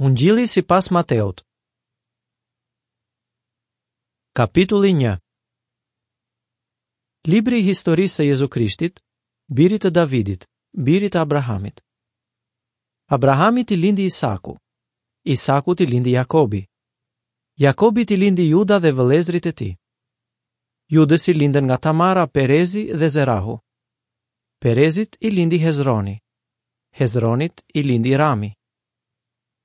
Ungjilli sipas Mateut. Kapitulli 1. Libri i historisë së Jezu Krishtit, birit të Davidit, birit të Abrahamit. Abrahamit i lindi Isaku, Isakut i lindi Jakobi. Jakobit i lindi Juda dhe vëllezërit e tij. Judës i lindën nga Tamara, Perezi dhe Zerahu. Perezit i lindi Hezroni. Hezronit i lindi Rami.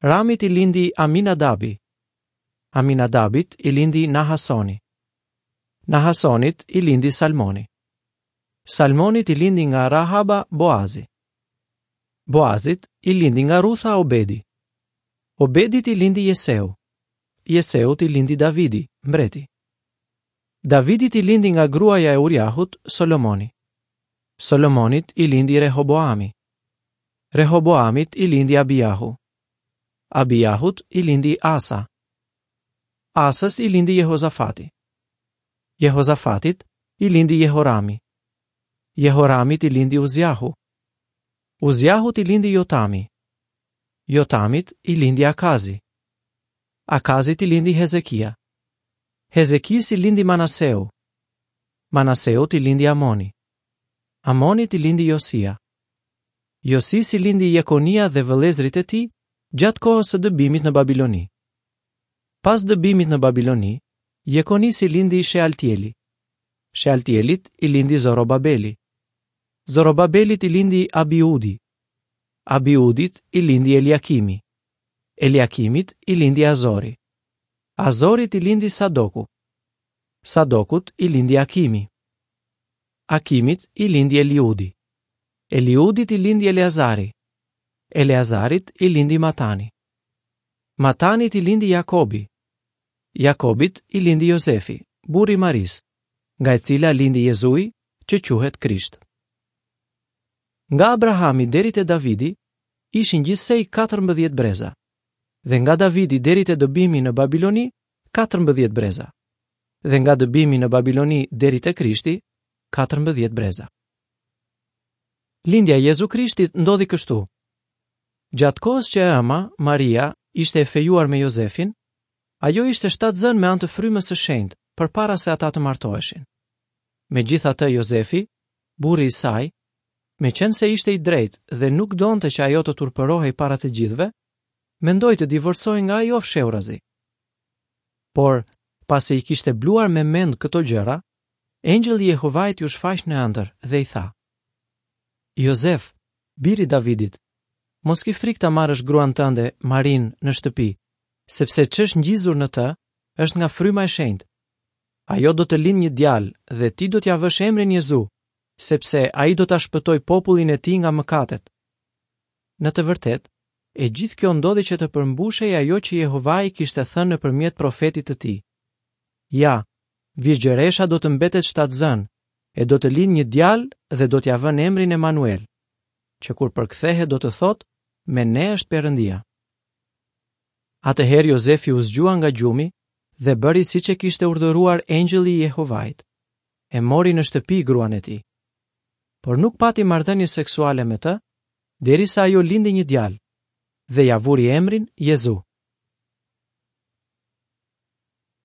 Ramit i lindi Aminadabi. Aminadabit i lindi Nahasoni. Nahasonit i lindi Salmoni. Salmonit i lindi nga Rahaba Boazi. Boazit i lindi nga Rutha Obedi. Obedit i lindi Jeseu. Jeseut i lindi Davidi, mbreti. Davidit i lindi nga gruaja e Uriahut, Solomoni. Solomonit i lindi Rehoboami. Rehoboamit i lindi Abijahu. Abijahut i lindi Asa. Asës i lindi Jehozafati. Jehozafatit i lindi Jehorami. Jehoramit i lindi Uziahu. Uziahut i lindi Jotami. Jotamit i lindi Akazi. Akazit i lindi Hezekia. Hezekisë i lindi Manaseu. Manaseut i lindi Amoni. Amonit i lindi Josia. Josisë i lindi Jekonia dhe vëllezërit e tij gjatë kohës së dëbimit në Babiloni. Pas dëbimit në Babiloni, Jekonisë i lindi Shealtieli. Shealtielit i lindi Zorobabeli. Zorobabelit i lindi Abiudi. Abiudit i lindi Eliakimi. Eliakimit i lindi Azori. Azorit i lindi Sadoku. Sadokut i lindi Akimi. Akimit i lindi Eliudi. Eliudit i lindi Eleazari. Eleazarit i lindi Matani. Matanit i lindi Jakobi. Jakobit i lindi Jozefi, burri i Marisë, nga e cila lindi Jezui, që quhet Krisht. Nga Abrahami deri te Davidi ishin gjithsej 14 breza, dhe nga Davidi deri te dëbimi në Babiloni 14 breza, dhe nga dëbimi në Babiloni deri te Krishti 14 breza. Lindja e Jezu Krishtit ndodhi kështu. Gjatë kohës që e ëma, Maria, ishte e fejuar me Jozefin, ajo ishte shtatzënë me anë të frymës së shenjtë përpara se ata të martoheshin. Megjithatë Jozefi, burri i saj, meqenëse ishte i drejtë dhe nuk donte që ajo të turpërohej para të gjithëve, mendoi të divorcohej nga ajo fshehurazi. Por, pasi i kishte bluar me mend këto gjëra, engjëlli i Jehovait iu shfaq në ëndërr dhe i tha: Jozef, bir i Davidit, mos ki frikë ta marrësh gruan tënde, Marinë, në shtëpi, sepse ç'është ngjizur në të është nga fryma e shenjtë. Ajo do të lindë një djalë dhe ti do t'ia vësh emrin Jezu, sepse ai do ta shpëtojë popullin e tij nga mëkatet. Në të vërtetë, e gjithë kjo ndodhi që të përmbushej ajo që Jehovai kishte thënë nëpërmjet profetit të tij. Ja, virgjëresha do të mbetet shtatzënë, e do të lindë një djalë dhe do t'ia vënë emrin Emanuel, që kur përkthehet do të thotë, me ne është Perëndia. Atëherë Jozefi u zgjua nga gjumi dhe bëri siç e kishte urdhëruar engjëlli i Jehovait. E mori në shtëpi gruan e tij. Por nuk pati marrëdhënie seksuale me të, derisa ajo lindi një djalë dhe ia vuri emrin Jezu.